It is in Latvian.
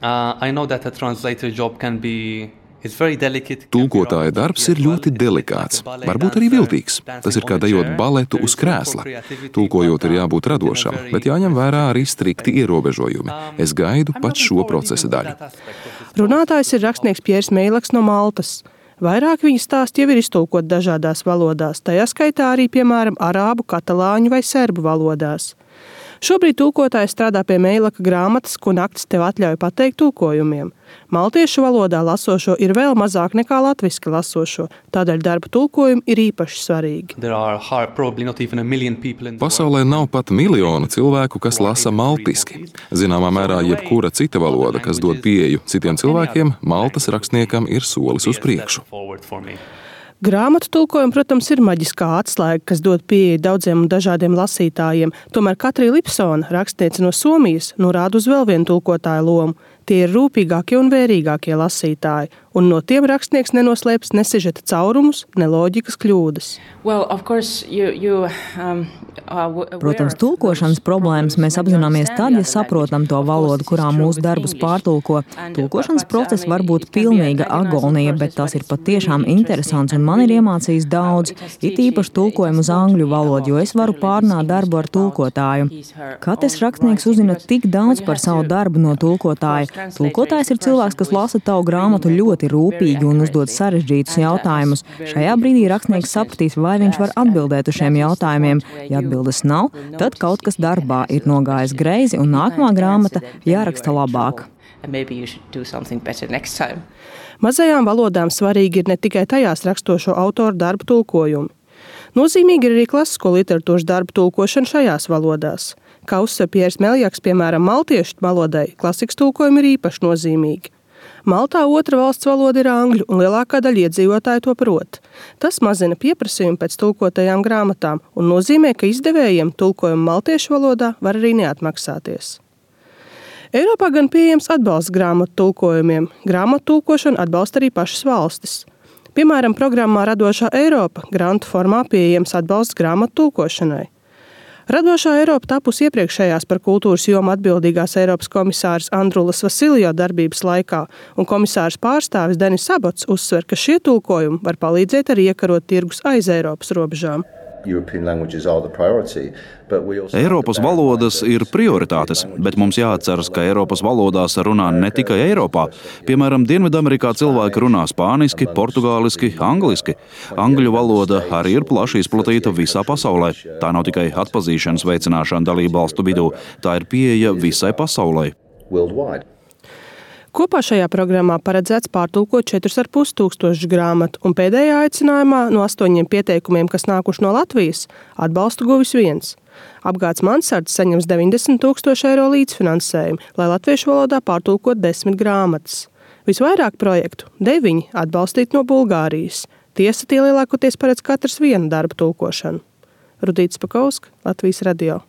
I know that a translator job can be. Tulkotāja darbs ir ļoti delikāts, varbūt arī viltīgs. Tas ir kā dejot baletu uz krēsla. Tulkojot ir jābūt radošam, bet jāņem vērā arī strikti ierobežojumi. Es gaidu pat šo procesa daļu. Runātājs ir rakstnieks Pjers Meilaks no Maltas. Vairāk viņa stāsti jau ir iztulkot dažādās valodās, tajā skaitā arī, piemēram, arābu, katalāņu vai serbu valodās. Šobrīd tulkotājs strādā pie Meilaka grāmatas, ko naktis tev atļauj pateikt tulkojumiem. Maltiešu valodā lasošo ir vēl mazāk nekā latviski lasošo, tādēļ darba tulkojumi ir īpaši svarīgi. Pasaulē nav pat miljonu cilvēku, kas lasa maltiski. Zināmā mērā jebkura cita valoda, kas dod pieeju citiem cilvēkiem, Maltas rakstniekam ir solis uz priekšu. Grāmatu tulkojumi, protams, ir maģiskā atslēga, kas dod pieeju daudziem un dažādiem lasītājiem. Tomēr Katrija Lipsona, rakstniece no Somijas, norāda uz vēl vienu tulkotāju lomu. Tie ir rūpīgākie un vērīgākie lasītāji, un no tiem rakstnieks nenoslēpjas ne sižeta caurumus, ne loģikas kļūdas. Protams, tulkošanas problēmas mēs apzināmies tad, ja saprotam to valodu, kurā mūsu darbus pārtulko. Tulkošanas process var būt pilnīga agonija, bet tas ir patiešām interesants, un man ir iemācījis daudz, it īpaši tulkojumu uz angļu valodu, jo es varu pārnāt darbu ar tulkotāju. Katrs rakstnieks uzzina tik daudz par savu darbu no tulkotāja. Tulkotājs ir cilvēks, kas lasa tavu grāmatu ļoti rūpīgi un uzdod sarežģītus jautājumus. Šajā brīdī rakstnieks sapratīs, vai viņš var atbildēt uz šiem jautājumiem. Ja atbildes nav, tad kaut kas darbā ir nogājis greizi un nākamā grāmata jāraksta labāk. Mazajām valodām svarīgi ir ne tikai tajās rakstošo autoru darbu tulkojumi. Nozīmīgi ir arī klasisko literatūras darbu tulkošana šajās valodās. Kā uzsver Pjers Meljaks, piemēram, maltiešu valodai, klasikas tulkojumi ir īpaši nozīmīgi. Maltā otra valsts valoda ir angļu, un lielākā daļa iedzīvotāju to prot. Tas mazina pieprasījumu pēc tulkotajām grāmatām un nozīmē, ka izdevējiem tulkojumu maltiešu valodā var arī neatmaksāties. Eiropā gan pieejams atbalsts grāmatu tulkojumiem. Grāmatu tulkošanu atbalsta arī pašas valstis. Piemēram, programmā Radošā Eiropa grantu formā pieejams atbalsts grāmatu tulkošanai. Radošā Eiropa tapusi iepriekšējās par kultūras jomu atbildīgās Eiropas komisārs Andrulas Vasiljo darbības laikā, un komisārs pārstāvis Denis Sabots uzsver, ka šie tulkojumi var palīdzēt arī iekarot tirgus aiz Eiropas robežām. Eiropas valodas ir prioritātes, bet mums jāatceras, ka Eiropas valodās runā ne tikai Eiropā. Piemēram, Dienvidamerikā cilvēki runā spāniski, portugāliski, angliski. Angļu valoda arī ir plaši izplatīta visā pasaulē. Tā nav tikai atpazīšanas veicināšana dalību valstu vidū, tā ir pieeja visai pasaulē. Kopā šajā programmā paredzēts pārtulkot 4,5 tūkstošu grāmatu, un pēdējā aicinājumā no 8 pieteikumiem, kas nākuši no Latvijas, atbalstu guvis viens. Apgāds Mansards saņems 90 000 eiro līdzfinansējumu, lai latviešu valodā pārtulkot 10 grāmatas. Visvairāk projektu, 9, atbalstīt no Bulgārijas. Tiesa, tie lielākoties paredz katrs vienu darbu tulkošanu. Rudīts Pakauska, Latvijas radio.